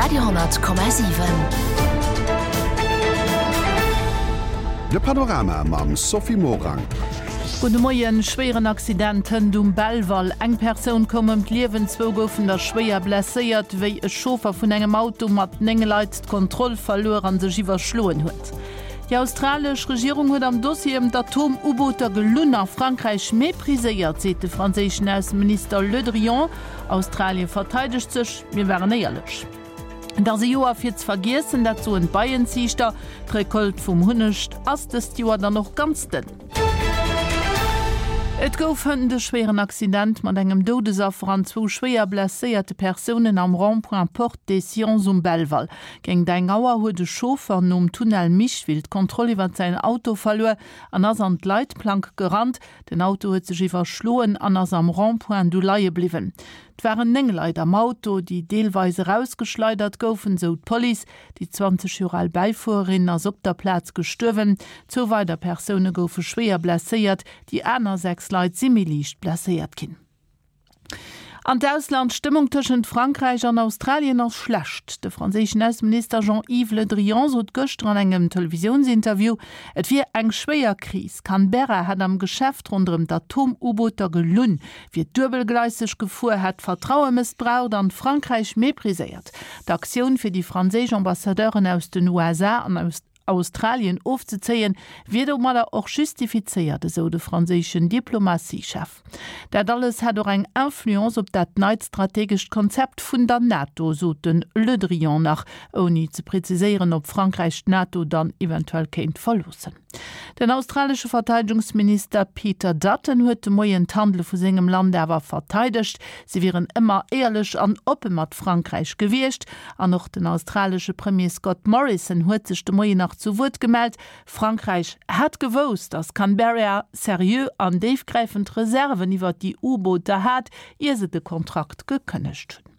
Radio,7. De Panorama mam Sophie Morang. Gudde Moien, Schwéieren Accident hënt um Belval. Eng Persoun koum ëm d'Liewen, zwou goufen der schwéier blesséiert, wéi e Chauffer vun engem Auto mat 9 Leit d'Kontroll verluer an sech iwwerschloen huet. Déi australesch Regierung huet am Dossier ëm d'Atom-U-Booter gelunn a Frankräich mépriséiert, seet de franséischen Ausseminister Le Drian. Australien verteidegt sech, Mir waren éierlech. Et ass e Joer fir ze vergiessen, dat soen d'Beienziichter. D'Recolte vum Hunneg ass dëst Joer dann och ganz dënn. Et gouf hënt e schwéieren Accident mat engem Doudesaffer an zwou schwéier blesséierte Persounen am Rond-point Porte des Sciences um Belval. Géint eng Auer huet e Chauffer nom Tunnel Micheville d'Kontroll iwwert säin Auto verluer an ass an d'Leitplank gerannt. Den Auto huet sech iwwerschloen an ass am Rond-point du leie bliwwen. Et waren 9 Leit am Auto, déi deelweis erausgeschleidert goufen, sou d'Police. Déi 20 Joer al Bäifuererin ass op der Plaz gestuerwen. Zwou weider Persoune goufe schwéier blesséiert, déi aner 6 Leit si méi liicht blesséiert ginn. An d'Ausland, D'Stëmmung tëschent Frankräich an Australien ass schlecht. De franséischen Ausseminister Jean-Yves Le Drian sot gëschter an engem Televisiounsinterview, et wier eng schwéier Kris. Canberra hätt am Geschäft ronderëm d'Atom-U-Booter gelunn, wier duebelgleiseg gefuer, hätt d'Vertraue mëssbraucht an Frankräich mépriséiert. D'Aktioun, fir déi franséisch Ambassadeuren aus den USA an aus. Australien ofzezéien, wier domadder och justifizéiert, esou de franséischen Diplomatiechef. Dat alles hätt och eng Influence op dat neit strategescht Konzept vun der NATO, sot de Le Drian nach, ouni ze preziséieren, ob Frankräich d'NATO dann eventuell kéint verloossen. Den australesche Verteidegungsminister Peter Dutton huet de Moien d'Handele vu sengem Land awer verteidegt. Si wieren ëmmer éierlech an oppe mat Frankräich gewiescht. An och den australesche Premier Scott Morrison huet sech de Moien nach zu Wuert gemellt. Frankräich hätt gewousst, datt Canberra seriö an déifgräifend Reserven iwwer déi U-Booter hat, ier se de Kontrakt gekënnegt hunn.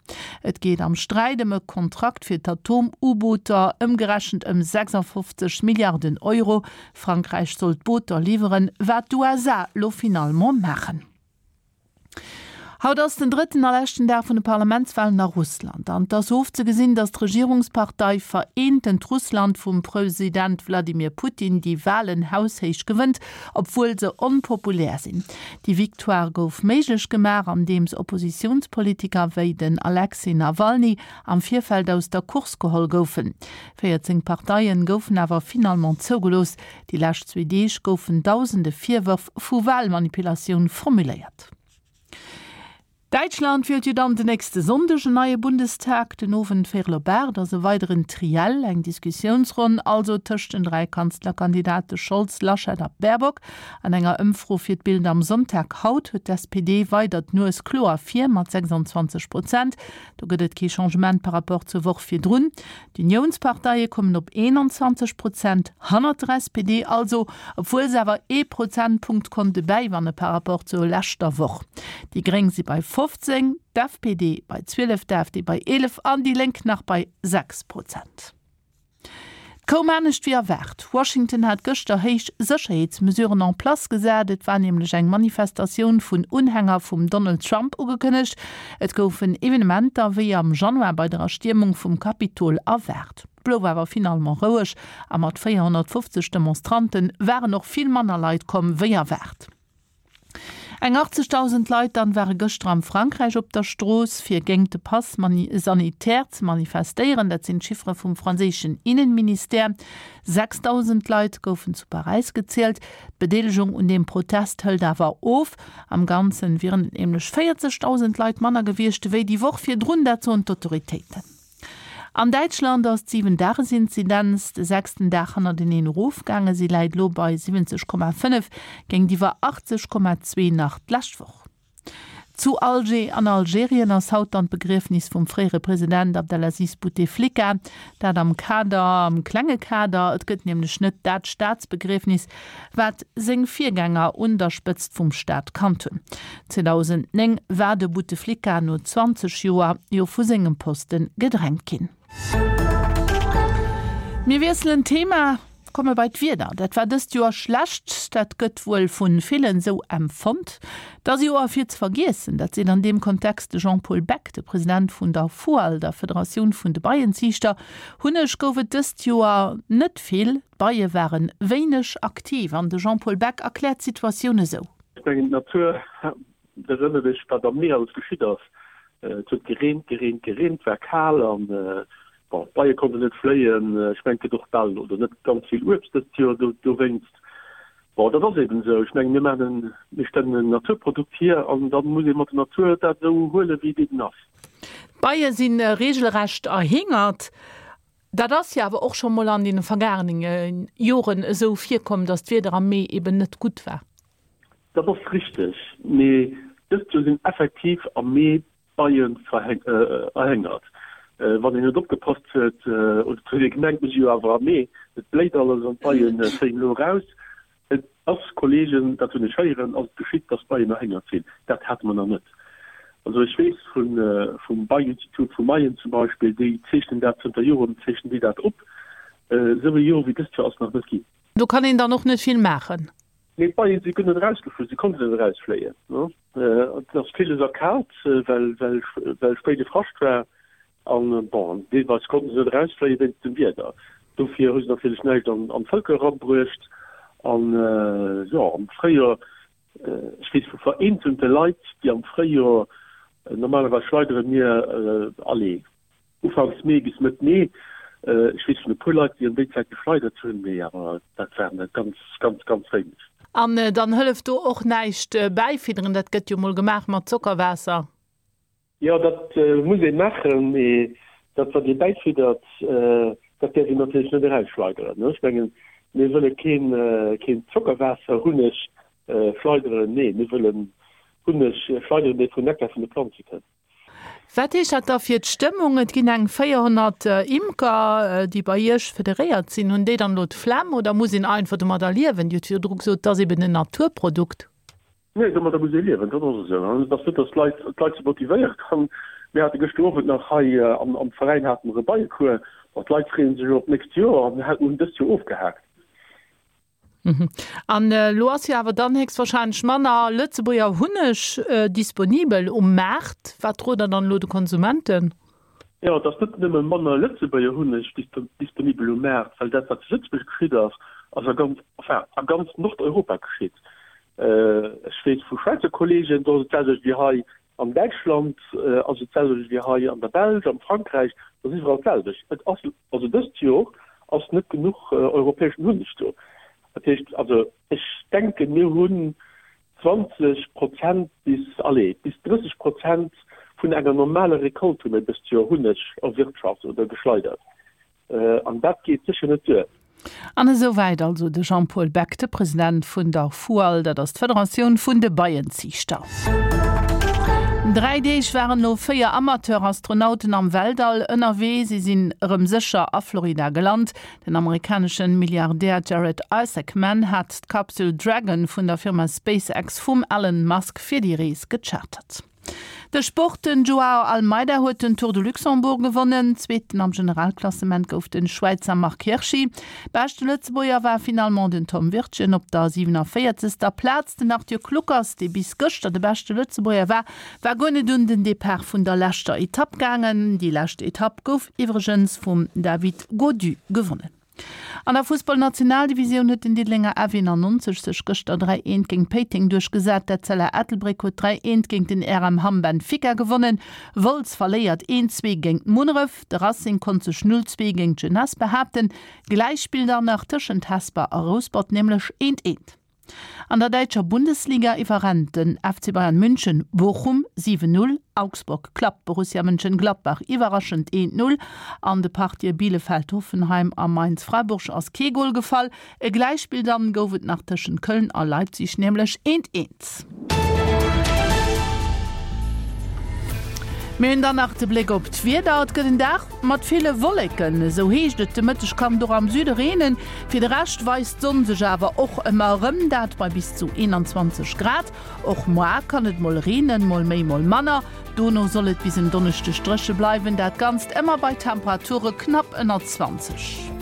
Et geet am Sträit ëm e Kontrakt fir d'Atom-U-Booter, ëmgerechent ëm 56 Milliarden Euro. Frankräich soll d'Booter liwweren, wat d'USA lo finalement maachen. Haut ass den drëtten a leschten Dag vun de Parlamentswalen a Russland. An et ass ofzegesinn, datt d'Regierungspartei Vereentent Russland vum President Wladimir Putin déi Walen haushéich gewënnt, obwuel se onpopulär sinn. Déi Victoire gouf méiglech gemaach, andeems Oppositiounspolitiker wéi den Alexej Nawalny am Virfeld aus der Course geholl goufen. 14 Parteien goufen awer finalement zougelooss. Déi lescht zwee Deeg goufen dausende Virwërf vu Walmanipulatioun formuléiert. Däitschland wielt jo dann den nächste Sonndeg en neie Bundestag. Den Owend véierel op 8 ass e weideren Triell, eng Diskussiounsronn also tëscht den 3 Kanzlerkandidate Scholz, Laschet a Baerbock. An enger Ëmfro fir d'Bild am Sonntag haut huet d'SPD weider d'Nues kloer vir mat 26 Prozent. Do gëtt et kee Changement par rapport zur Woch virdrun. D'Uniounsparteie kommen op 21 Prozent, hannert der SPD also, obwuel se awer ee Prozentpunkt konnte bäiwanne par rapport zur leschter Woch. Déi Gréng si bei 15, d'FPD bei 12, d'AfD bei 11 an déi Lénk nach bei 6 Prozent. Et koum anescht wéi erwaart. Washington hat gëschter héich Sécherheetsmesuren en place gesat. Et war nämlech eng Manifestatioun vun Unhänger vum Donald Trump ugekënnegt. Et goufen Evenementer wéi am Januar bei der Erstiermung vum Kapitol erwaart. Et blouf awer finalement roueg a mat 450 Demonstrante waren och vill manner Leit komm wéi erwaart. Eng 80.000 Leit dann ware gëschter am Frankräich op der Strooss fir géingt de Pass sanitaire ze manifestéieren. Dat sinn d'Chiffere vum franséischen Innenministère. 6.000 Leit goufen zu Paräis gezielt. D'Bedeelegung un deem Protest hëlt awer of. Am Ganzen wieren et nämlech 40.000 Leit manner gewiescht ewéi déi Woch virdrun, dat soen d'Autoritéiten. An Däitschland ass d'Siwen-Dages-Inzidenz de sechsten Dag hannerteneen erofgaangen. Si läit elo bei 70,5 géintiwwer 80,2 nach d'lescht Woch. Zu Alger an Algerien ass haut dann d'Begriefnis vum fréiere President Abdelaziz Bouteflika. Dat am Kader, am klenge Kader, et gëtt nämlech net dat Staatsbegriefnis, wat seng Virgänger un der Spëtzt vum Staat kannt hunn. 2009 war de Bouteflika no 20 Joer jo vu sengem Poste gedrängt ginn. Mir wiesselen d'Thema. Komme bei d'Wieder. Dat war dëst Joer schlecht, dat gëtt wuel vu villen esou empfonnt. Et ass e Joer fir ze vergiessen, dat seet an deem Kontext de Jean-Paul Beck, de President vun der FUAL, der Federatioun vun de Beienziichter. Hunneg gouf et dëst Joer net vill, d'Beie ware wéineg aktiv an de Jean-Paul Beck erkläert d'Situatioun esou. Ech mengen d'Natur erënnert ech wat am Mee alles geschitt ass. Et huet gereent, gereent, gereent, war kal an bon, d'Beie konnten net fléien. Ech mengen et gëtt och bal oder net ganz vill Uebst dëst Joer dowéinst. Bon, dat ass eben esou. Ech mengen mir maachen en, mir stellen en Naturprodukt hier an da muss ee mat der Natur dat esou huelen, wéi et eben ass. D'Beie si reegelrecht erhingert. Dat ass jo awer och scho mol an deene vergaangene Joren esou virkomm, datt d'Wieder am Mee eben net gutt war. Dat ass richteg, mee dëst Joer sinn effektiv am Mee d'Beien erhéngert. Wann een net opgepasst huet, oder et huet ee gemengt, mir si jo awer am Mee, et bléit alles an d'Beie fléien elo eraus. Et ass, Kollegen, dat hunn ech héieren, ass et geschitt, dass d'Beien erhéngert sinn. Dat hate mer nach net. Also ech weess vum Beieninstitut vu Mayen zum Beispill, déi zeechnen dat zënter Joren, zeechnen déi dat op. Esou ee Joer wéi dëst Joer ass nach net ginn. Do kann een dann och net vill maachen. Nee, d'Beien si guer net erausgeflu, si konnten net erausfléien. Et ass villes erkaalt, well spéide Frascht war. An bon, deelweis konnten se net erausfléie wéinst dem Wieder. Dofir hu se natierlech näischt an d'Vëlker erabruecht. An jo, am Fréijoer, ech weess vu vereenzelte Leit, déi am Fréijoer, normalerweis schleidere mir, allez, ufanks Mee bis Mëtt Mee, ech weess vun e puer Leit, déi an déi Zäit geschleidert hunn, mee awer dat waren der ganz, ganz, ganz wéineg. An dann hëlleft do och näischt bäifidderen, dat gëtt jo mol gemaach mat Zockerwaasser. Jo, dat muss ee maachen, mee dat, wat ee bäifiddert, dat däerf een natierlech net erausschleideren. Ech mengen, mir wëlle keen Zockerwaasser-Hunneg schleideren, nee, mir wëllen Hunneg schleideren, dee vun Nektar vun de Planze kënnt. Wat heescht dat da fir d'Stëmmung? Et ginn eng 400 Imker, déi bei Iech federéiert sinn. Hunn déi dann elo d'Flemm oder muss een einfach domadder liewen? Dir hutt virdru gesot, et ass eben en Naturprodukt. Nee, domadder muss ee liewen, dat ass esou. An et ass net, datt d'Leit, d'Leit si motivéiert. An mir hate gëschter Owend nach hei am, am Veräin hate mer e Beiecours. Bon, d'Leit freeë sech elo op d'nächst Joer an hunn dëst Joer ofgehaakt. An elo ass jo awer dann héchstwahrscheinlech manner Lëtzebuerger Hunneg disponibel um Maart. Wat rot Der dann elo de Konsumenten? Jo, et ass net nëmme manner Lëtzebuerger Hunneg disponibel um Maart, well dat, wat zu Lëtzebuerg geschitt ass, ass a ganz, enfin, a ganz Nordeuropa geschitt. Ech weess vu Schwäizer Kollegen, do ass et d'selwecht wéi hei an Däitschland, ass et d'selwecht wéi hei an der Belsch, am Frankräich, et ass iwwerall d'selwecht. Et ass, also dëst Jor ass net genuch europäeschen Hunneg do. Dat heescht, also ech denken, mir hunn 20 Prozent bis, allez, bis 30 Prozent vun enger normaler Recolte hu mir dëst Joer Hunneg erwirtschaft oder geschleidert. An dat geet sécher net duer. An esou wäit also de Jean-Paul Beck, de President vun der FUAL, dat ass d'Federatioun vun de Beienziichter. Dräi Deeg waren elo 4 Amateur-Astronauten am Weltall ënnerwee. Si sinn erëm sécher a Florida gelant. Den amerikanesche Milliardär Jared Isaacman hat d'Kapsel Dragon vun der Firma SpaceX vum Elon Musk fir déi Rees gechartert. De Sport, Den Joao Almeida huet den Tour de Luxembourg gewonnen. Zweeten am Generalklassement gouf de Schwäizer Marc Hirschi. Beschte Lëtzebuerger war finalement den Tom Wirtgen op der 47. Plaz. Den Arthur Kluckers, dee bis gëschter de beschte Lëtzebuerger war, war guer net un den Depart vun der leschter Etapp gaangen. Déi lescht Etapp gouf iwwregens vum David Gaudu gewonnen. An der Fussball-Nationaldivisioun huet den Diddelenger F91 sech gëschter 3 eent géint Péiteng duerchgesat. D'Etzella Ettelbréck huet 3 eent géint den RM Hamm Benfica gewonnen. Wolz verléiert 1 zwee géint Munneref. De Racing konnt sech 0 zwee géint d'Jeunesse behaapten. Gläichspill dann nach tëschent Hesper a Rouspert, nämlech 1 eent. An der däitscher Bundesliga iwwerrennt den FC Bayern München Bochum 7, 0, Augsburg klappt Borussia Mönchengladbach iwwerraschend 1, 0. An de Partië Bielefeld-Hoffenheim a Mainz-Freiburg ass kee Gol gefall. E Gläichspill dann gouf et nach tëschent Köln a Leipzig, nämlech 1, 1. Mir hunn dann nach de Bléck op d'Wieder. Et gëtt en Dag mat ville Wolleken, esou heescht et. De Mëtteg kann et och am Süde reenen. Fir de Rescht weist d'Sonn sech awer och ëmmer erëm, dat bei bis zu 21 Grad. Och moar kann et mol reenen, mol méi, mol manner. Dono soll et bis en Donneschdeg dréche bleiwen, dat Ganzt ëmmer bei Temperature knapp ënner 20.